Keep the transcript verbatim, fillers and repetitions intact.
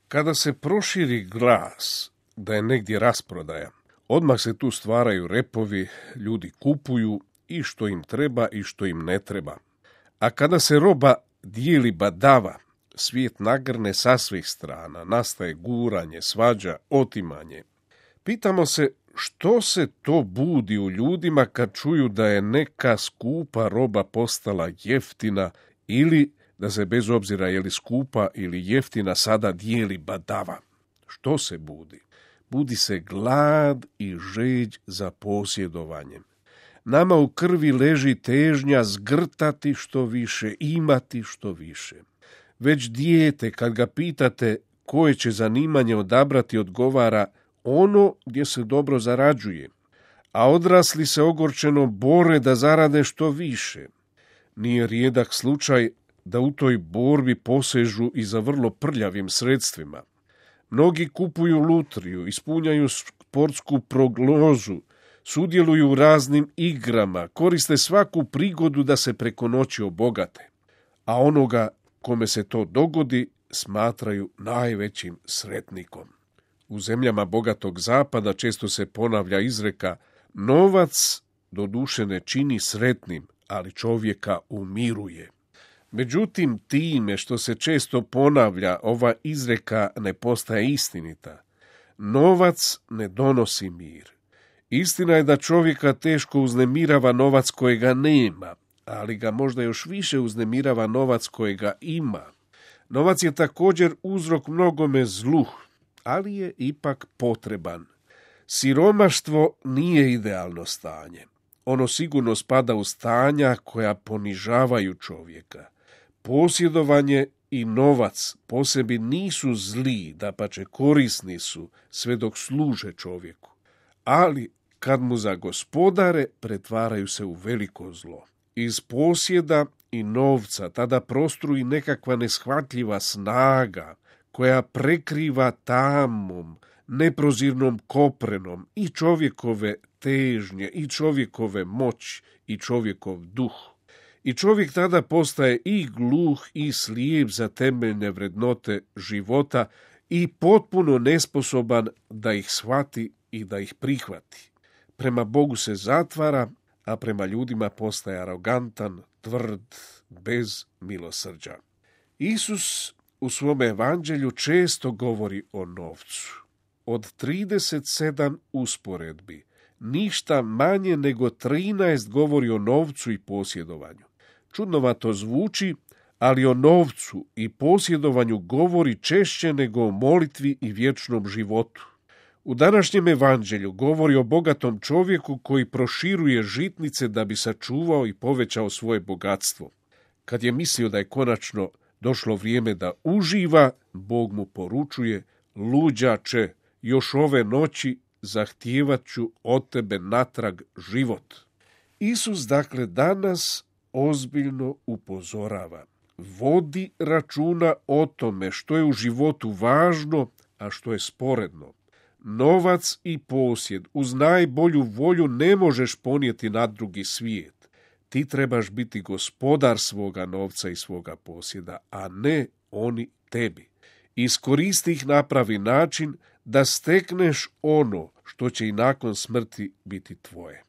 Kada se proširi glas da je negdje rasprodaja, odmah se tu stvaraju repovi, ljudi kupuju i što im treba i što im ne treba. A kada se roba dijeli badava, svijet nagrne sa svih strana, nastaje guranje, svađa, otimanje. Pitamo se što se to budi u ljudima kad čuju da je neka skupa roba postala jeftina ili da se bez obzira je li skupa ili jeftina sada dijeli badava. Što se budi? Budi se glad i žeđ za posjedovanjem. Nama u krvi leži težnja zgrtati što više, imati što više. Već dijete, kad ga pitate koje će zanimanje odabrati, odgovara ono gdje se dobro zarađuje, a odrasli se ogorčeno bore da zarade što više. Nije rijedak slučaj da u toj borbi posežu i za vrlo prljavim sredstvima. Mnogi kupuju lutriju, ispunjaju sportsku prognozu, sudjeluju u raznim igrama, koriste svaku prigodu da se preko noći obogate, a onoga kome se to dogodi smatraju najvećim sretnikom. U zemljama bogatog zapada često se ponavlja izreka novac doduše ne čini sretnim, ali čovjeka umiruje. Međutim, time što se često ponavlja, ova izreka ne postaje istinita. Novac ne donosi mir. Istina je da čovjeka teško uznemirava novac kojega nema, ali ga možda još više uznemirava novac kojega ima. Novac je također uzrok mnogome zlu, ali je ipak potreban. Siromaštvo nije idealno stanje. Ono sigurno spada u stanja koja ponižavaju čovjeka. Posjedovanje i novac po sebi nisu zli, dapače korisni su sve dok služe čovjeku. Ali kad mu zagospodare, pretvaraju se u veliko zlo. Iz posjeda i novca tada prostruji nekakva neshvatljiva snaga koja prekriva tamom, neprozirnom koprenom i čovjekove težnje, i čovjekove moć, i čovjekov duh. I čovjek tada postaje i gluh i slijep za temeljne vrednote života i potpuno nesposoban da ih shvati i da ih prihvati. Prema Bogu se zatvara, a prema ljudima postaje arogantan, tvrd, bez milosrđa. Isus u svom evanđelju često govori o novcu. Od trideset sedam usporedbi, ništa manje nego trinaest govori o novcu i posjedovanju. Čudnovato zvuči, ali o novcu i posjedovanju govori češće nego o molitvi i vječnom životu. U današnjem evanđelju govori o bogatom čovjeku koji proširuje žitnice da bi sačuvao i povećao svoje bogatstvo. Kad je mislio da je konačno došlo vrijeme da uživa, Bog mu poručuje: luđače, još ove noći zahtijevat ću od tebe natrag život. Isus dakle danas ozbiljno upozorava: vodi računa o tome što je u životu važno, a što je sporedno. Novac i posjed uz najbolju volju ne možeš ponijeti na drugi svijet. Ti trebaš biti gospodar svoga novca i svoga posjeda, a ne oni tebi. Iskoristi ih na pravi način da stekneš ono što će i nakon smrti biti tvoje.